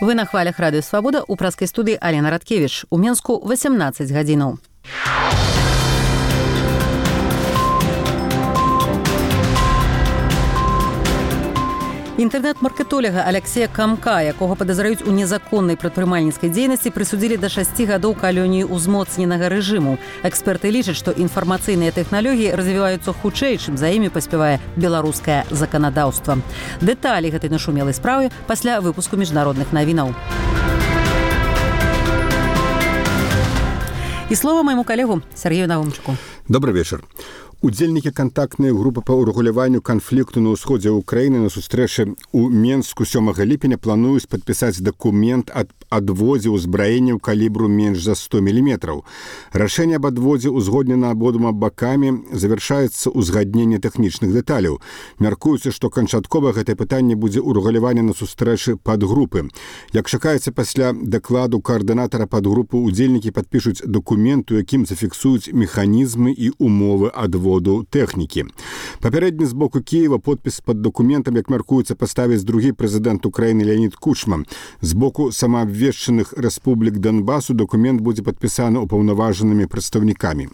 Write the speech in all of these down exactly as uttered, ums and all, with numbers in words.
Вы на хвалях радыё Свабода, у праскай студыі Алена Радкевіч. У Менску васямнаццаць гадзінаў. Інтэрнэт-маркетолага Алексея Камка, якога падазраюць у незаконнай прадпрымальніцкай дзейнасці, прысудзілі да шасці гадоў калоніі ўзмоцненага рэжыму. Эксперты лічаць, што інфармацыйныя тэхналогіі развіваюцца хутчэй, чым за імі паспявае беларускае заканадаўства. Дэталі гэтай нашумелай справы пасля выпуску міжнародных навінаў. І слова майму калегу Сергею Навумчуку. Добрый вечар. Удзельнікі кантактнай групы па ўрэгуляванню канфлікту на ўсходзе Украіны на сустрэчы ў Менску сёмага ліпеня плануюць падпісаць дакумент аб адводзе ўзбраенняў калібру менш за сто міліметраў. Рашэнне аб адводзе узгоднена абодвума бакамі, завяршаецца ўзгадненне тэхнічных дэталяў. Мяркуецца, што канчаткова гэтае пытанне будзе ўрэгуляванне на сустрэчы падгрупы. Як чакаецца, пасля дакладу каардынатара падгрупы удзельнікі падпішуць дакумент, у якім зафіксуюць механізмы і умовы адводу тэхнікі. Папярэдні з боку Кіева подпіс пад дакументам, як мяркуецца, паставіць другі прэзідэнт Украіны Леонід Кучма. З боку самаабвешчаных рэспублік Донбасу дакумент будзе падпісаны упаўнаважанымі прадстаўнікамі.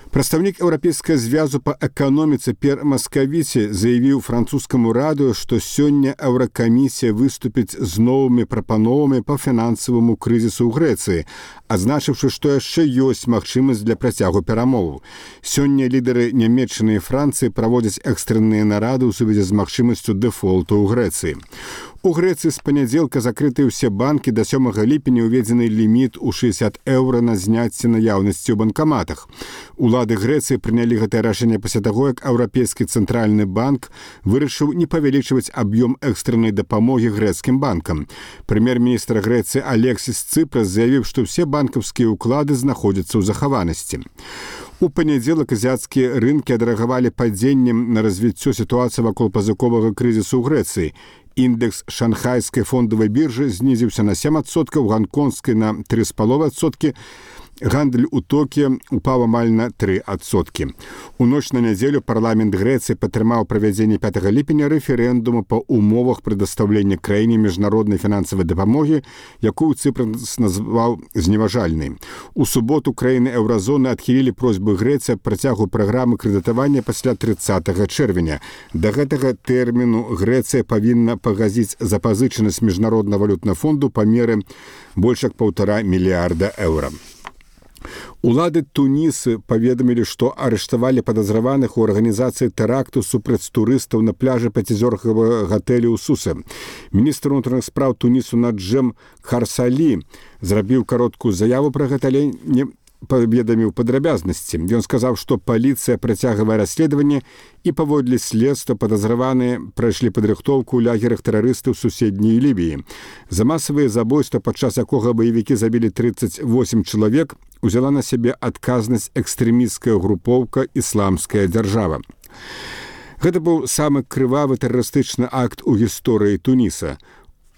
Прадстаўнік Еўрапейскага звязу па эканоміцы П'ер Маскавіці заявіў французскаму радыё, што сёння Еўракамісія выступіць з новымі прапановамі па фінансаваму крызісу ў Грэцыі, адзначыўшы, што яшчэ ёсць магчымасць для працягу перамоваў. Сёння лідары Нямецчыны і Францыі праводзяць экстрэнныя нарады ў сувязі з магчымасцю дэфолту ў Грэцыі. У Грэцыі з панядзелка закрытыя ўсе банкі, да сёмага ліпеня ўведзены ліміт у шэсцьдзесят еўра на зняцце наяўнасці ў банкаматах. Улады Грэцыі прынялі гэтае рашэнне пасля таго, як Еўрапейскі цэнтральны банк вырашыў не павялічваць аб'ём экстрэннай дапамогі грэцкім банкам. Прэм'ер-міністр Грэцыі Алексіс Цыпрас заявіў, што ўсе банкаўскія ўклады знаходзяцца ў захаванасці. У панядзелак азіяцкія рынкі адрэагавалі падзеннем на развіццё сітуацыі вакол пазыковага крызісу ў Грэцыі. Індекс шанхайскай фондавай біржы знізіўся на сем адсоткаў, ганконгскай на тры з паловай адсоткі. Гандаль у Токіё упаў амаль на тры адсоткі. У ноч на нядзелю парламент Грэцыі падтрымаў правядзенне пятага ліпеня рэферэндуму па умовах прадастаўлення краіне міжнароднай фінансавай дапамогі, якую Цыпрас назваў зневажальнай. У суботу краіны еўразоны адхілілі просьбы Грэцыі аб працягу праграмы крэдытавання пасля трыццатага чэрвеня. Да гэтага тэрміну Грэцыя павінна пагасіць запазычанасць міжнароднага валютнага фонду па меры больш як паўтара мільярда еўра. Улады Тунісы паведамілі, што арыштавалі падазраваных у арганізацыі тэракту супраць турыстаў на пляжы пяцізёркавага гатэлю ў Сусе. Міністр унутраных спраў Тунісу Наджэм Харсалі зрабіў кароткую заяву пра гэта, але не паведаміў падрабязнасці. Ён сказаў, што паліцыя працягвае расследаванне і паводле следства падазраваныя прайшлі падрыхтоўку ў лагерах тэрарыстаў суседняй Лібіі. За масавыя забойства, падчас якога баевікі забілі трыццаць восем чалавек, узяла на сябе адказнасць экстрэмісцкая групоўка «Ісламская дзяржава». Гэта быў самы крывавы тэрарыстычны акт у гісторыі Туніса.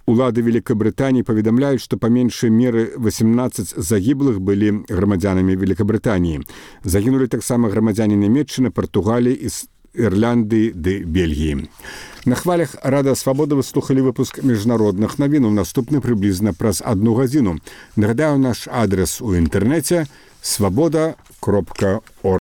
Улады Великабрытаніі паведамляюць, што па меншай меры васемнаццаць загіблых былі грамадзянамі Великабрытаніі. Загінулі таксама грамадзяне Нямецчыны, Партугаліі, Ірландыі ды Бельгіі. На хвалях Радыё Свабода вы слухалі выпуск міжнародных навінаў. Наступны прыблізна праз адну гадзіну. Нагадаю, наш адрес у інтэрнэце свабода кропка орг.